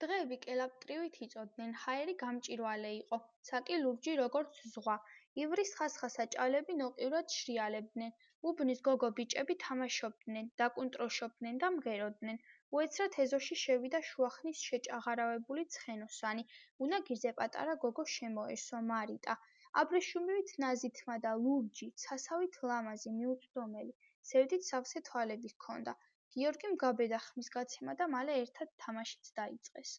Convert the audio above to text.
დღეები კელაპტრივით იწოდნენ, ჰაერი გამჭვირვალე იყო, საკი ლურჯი როგორც ზღვა. ივრის ხასხასა ჭავლები ნოყივრად შრიალებდნენ. უბნის გოგო ბიჭები თამაშობდნენ, დაკუნტროშობდნენ და მღეროდნენ. უეცრად ეზოში შევიდა შუახნის შეჭაღარავებული ცხენოსანი. უნაგირზე პატარა გოგო შემოესვა, მარიტა. აბრეშუმივით ნაზითმა და ლურჯი, ცასავით ლამაზი, მიუწვდომელი. ზევდით სავსე თვალები ჰქონდა. გიორგიმ გაბედა ხმის გაცემა და მალე ერთად თამაშიც დაიწყეს.